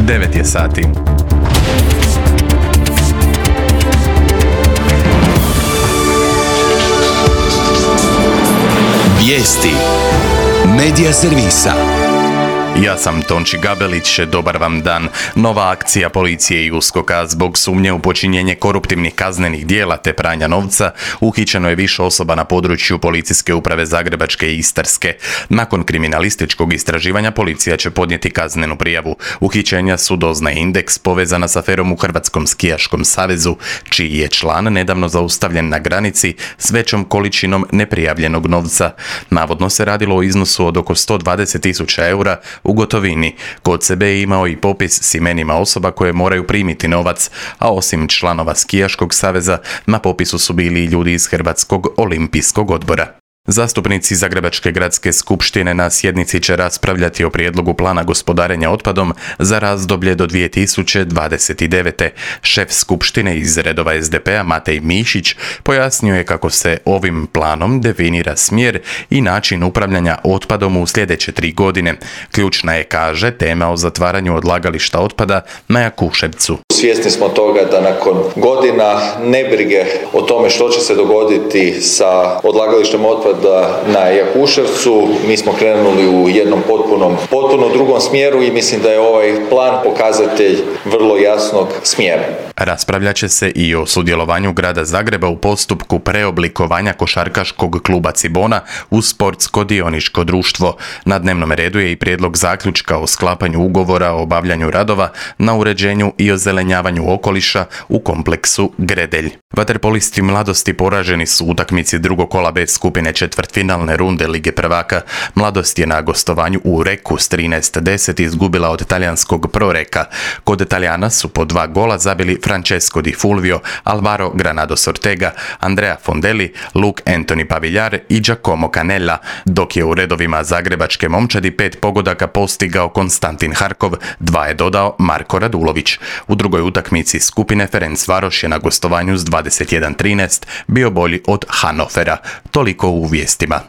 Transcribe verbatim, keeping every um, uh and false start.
devet je sati. Vijesti Medija servisa. Ja sam Tonči Gabelić, dobar vam dan. Nova akcija policije i uskoka zbog sumnje u počinjenje koruptivnih kaznenih dijela te pranja novca uhićeno je više osoba na području Policijske uprave Zagrebačke i Istarske. Nakon kriminalističkog istraživanja policija će podnijeti kaznenu prijavu. Uhićenja su doznaje Indeks povezana s aferom u Hrvatskom skijaškom savezu, čiji je član nedavno zaustavljen na granici s većom količinom neprijavljenog novca. Navodno se radilo o iznosu od oko sto dvadeset tisuća eura u gotovini. Kod sebe je imao i popis s imenima osoba koje moraju primiti novac, a osim članova Skijaškog saveza, na popisu su bili i ljudi iz Hrvatskog olimpijskog odbora. Zastupnici Zagrebačke gradske skupštine na sjednici će raspravljati o prijedlogu plana gospodarenja otpadom za razdoblje do dvije tisuće dvadeset devete. Šef skupštine iz redova es de pe a Matej Mišić pojasnio je kako se ovim planom definira smjer i način upravljanja otpadom u sljedeće tri godine. Ključna je, kaže, tema o zatvaranju odlagališta otpada na Jakuševcu. Svjesni smo toga da nakon godina nebrige o tome što će se dogoditi sa odlagalištem otpada na Jakuševcu, mi smo krenuli u jednom potpunom, potpuno drugom smjeru i mislim da je ovaj plan pokazatelj vrlo jasnog smjera. Raspravljat će se i o sudjelovanju grada Zagreba u postupku preoblikovanja košarkaškog kluba Cibona u sportsko dioničko društvo. Na dnevnom redu je i prijedlog zaključka o sklapanju ugovora o obavljanju radova na uređenju i ozelenjavanju okoliša u kompleksu Gredelj. Vaterpolisti Mladosti poraženi su u utakmici drugog kola B skupine četvrtfinalne runde Lige prvaka. Mladost je na gostovanju u Reku s trinaest deset izgubila od talijanskog Proreka. Kod Talijana su po dva gola zabili Francesco Di Fulvio, Alvaro Granados Ortega, Andrea Fondelli, Luke Anthony Pavillar i Giacomo Canella, dok je u redovima zagrebačke momčadi pet pogodaka postigao Konstantin Harkov, dva je dodao Marko Radulović. U drugoj utakmici skupine Ferencvaroš je na gostovanju s dvadeset jedan trinaest bio bolji od Hannovera. Toliko u vijestima.